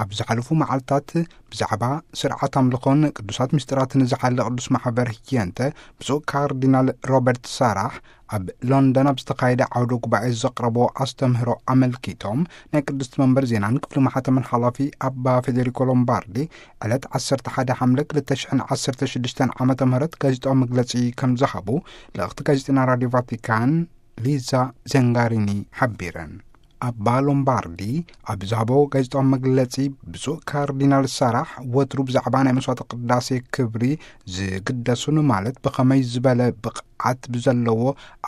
ኣብ ዝሓለፉ መዓልታት ብዛዕባ ስርዓት ኣምልኾን ቅዱሳት ምስጢራትን ዝሓለ ቅዱስ ማሕበር ህየንተ፣ ብፁዕ ካርዲናል ሮበርት ሳራሕ ኣብ ሎንደን ኣብ ዝተኻየደ ዓውደ ጉባኤ ዘቕረቦ ኣስተምህሮ ኣመልኪቶም፣ ናይ ቅድስቲ መንበር ዜናን ክፍሊ ማሕተምን ሓላፊ ኣባ ፌዴሪኮ ሎምባርዲ፣ ዕለት ዓሰርተ ሓደ ሓምለ ክልተ ሽሕን ዓሰርተ ሽዱሽተን ዓመተ ምህረት ጋዜጣዊ መግለጺ ከም ዝሃቡ ልእኽቲ ጋዜጠኛ ራዲዮ ቫቲካን ሊዛ ዘንጋሪኒ ሓቢረን። ኣባ ሎምባርዲ ኣብ ዝሃቦ ጋዜጣዊ መግለጺ፣ ብፁዕ ካርዲናል ሳራሕ ወትሩ ብዛዕባ ናይ መስዋዕተ ቅዳሴ ክብሪ ዝግደሱን፣ ማለት ብኸመይ ዝበለ ብቕዓት ብዘለዎ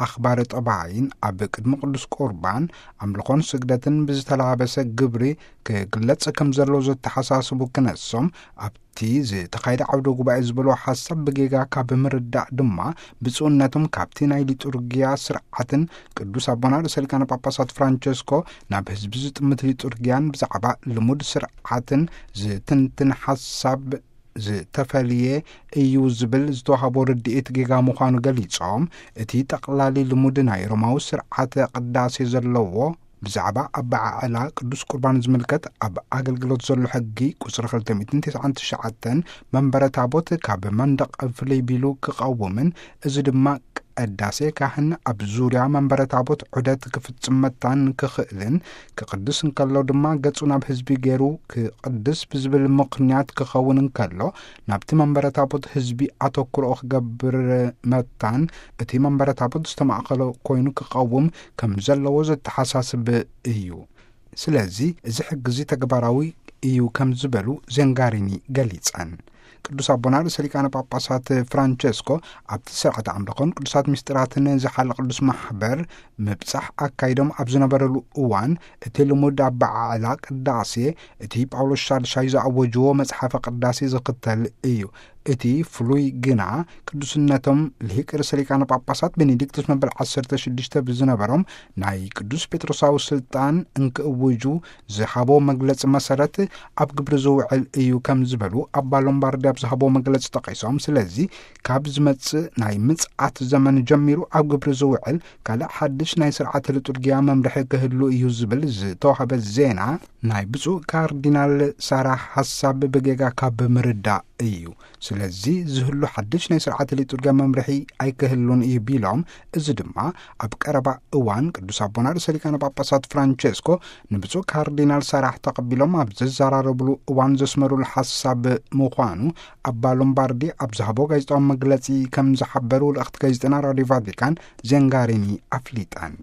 ኣኽባሪ ጠባይን ኣብ ቅድሚ ቅዱስ ቁርባን ኣምልኾን ስግደትን ብዝተላበሰ ግብሪ ክግለጽ ከም ዘለዎ ዘተሓሳስቡ ክነሶም፣ ኣብቲ ዝተኻየደ ዓውደ ጉባኤ ዝበሎ ሓሳብ ብጌጋ ካብ ምርዳእ ድማ፣ ብፁዕነቶም ካብቲ ናይ ሊጡርጊያ ስርዓትን ቅዱስ ኣቦና ርእሰ ሊቃነ ጳጳሳት ፍራንቸስኮ ናብ ህዝቢ ዝጥምት ሊጡርጊያን ብዛዕባ ልሙድ ስርዓትን ዝትንትን ሓሳብ ዝተፈልየ እዩ ዝብል ዝተዋህቦ ርድኢት ጌጋ ምዃኑ ገሊጾም፣ እቲ ጠቕላሊ ልሙድ ናይ ሮማዊ ስርዓተ ቅዳሴ ዘለዎ ብዛዕባ ኣበዓዕላ ቅዱስ ቁርባን ዝምልከት ኣብ ኣገልግሎት ዘሎ ሕጊ ቁጽሪ ክልተ ሚእትን ተስዓን ትሽዓተን መንበረ ታቦት ካብ መንደቕ ፍልይ ቢሉ ክቐውምን፣ እዚ ድማ ቀዳሴ ካህን ኣብ ዙርያ መንበረ ታቦት ዑደት ክፍጽም መታን ክኽእልን፣ ክቕድስ እንከሎ ድማ ገጹ ናብ ህዝቢ ገይሩ ክቕድስ ብዝብል ምኽንያት ክኸውን እንከሎ፣ ናብቲ መንበረ ታቦት ህዝቢ ኣተኩሮኡ ክገብር መታን፣ እቲ መንበረ ታቦት ዝተማእከሎ ኮይኑ ክቐውም ከም ዘለዎ ዘተሓሳስብ እዩ። ስለዚ እዚ ሕጊ እዚ ተግባራዊ እዩ ከም ዝበሉ ዘንጋሪኒ ገሊጸን። ቅዱስ ኣቦና ርእሰ ሊቃነ ጳጳሳት ፍራንቸስኮ ኣብቲ ስርዓተ ኣምልኾን ቅዱሳት ምስጢራትን ዝሓለ ቅዱስ ማሕበር ምብጻሕ ኣካይዶም ኣብ ዝነበረሉ እዋን፣ እቲ ልሙድ ኣበዓዕላ ቅዳሴ፣ እቲ ጳውሎስ ሻድሻይ ዝኣወጅዎ መጽሓፈ ቅዳሴ ዝኽተል እዩ። እቲ ፍሉይ ግና፣ ቅዱስነቶም ልሂቅ ርእሰ ሊቃነ ጳጳሳት ቤኔዲክቱስ መበል ዓሰርተ ሽዱሽተ ብዝነበሮም ናይ ቅዱስ ጴጥሮሳዊ ስልጣን እንክእውጁ ዝሃቦ መግለጺ መሰረት ኣብ ግብሪ ዝውዕል እዩ ከም ዝበሉ ኣባ ሎምባርዲ ኣብ ዝሃቦ መግለጺ ጠቒሶም፣ ስለዚ ካብ ዝመጽእ ናይ ምጽኣት ዘመን ጀሚሩ ኣብ ግብሪ ዝውዕል ካልእ ሓድሽ ናይ ስርዓተ ሊጡርጊያ መምርሒ ክህሉ እዩ ዝብል ዝተዋህበ ዜና ናይ ብፁዕ ካርዲናል ሳራ ሓሳብ ብጌጋ ካብ ምርዳእ እዩ። ስለዚ ዝህሉ ሓድሽ ናይ ስርዓተ ሊጡርጊያ መምርሒ ኣይክህሉን እዩ ቢሎም፣ እዚ ድማ ኣብ ቀረባ እዋን ቅዱስ ኣቦና ርእሰ ሊቃነ ጳጳሳት ፍራንቸስኮ ንብፁዕ ካርዲናል ሳራሕ ተቐቢሎም ኣብ ዘዘራረብሉ እዋን ዘስመሩሉ ሓሳብ ምዃኑ ኣባ ሎምባርዲ ኣብ ዝሃቦ ጋዜጣዊ መግለጺ ከም ዝሓበሩ ልእኽቲ ጋዜጠና ራዲዮ ቫቲካን ዘንጋሪኒ ኣፍሊጠን።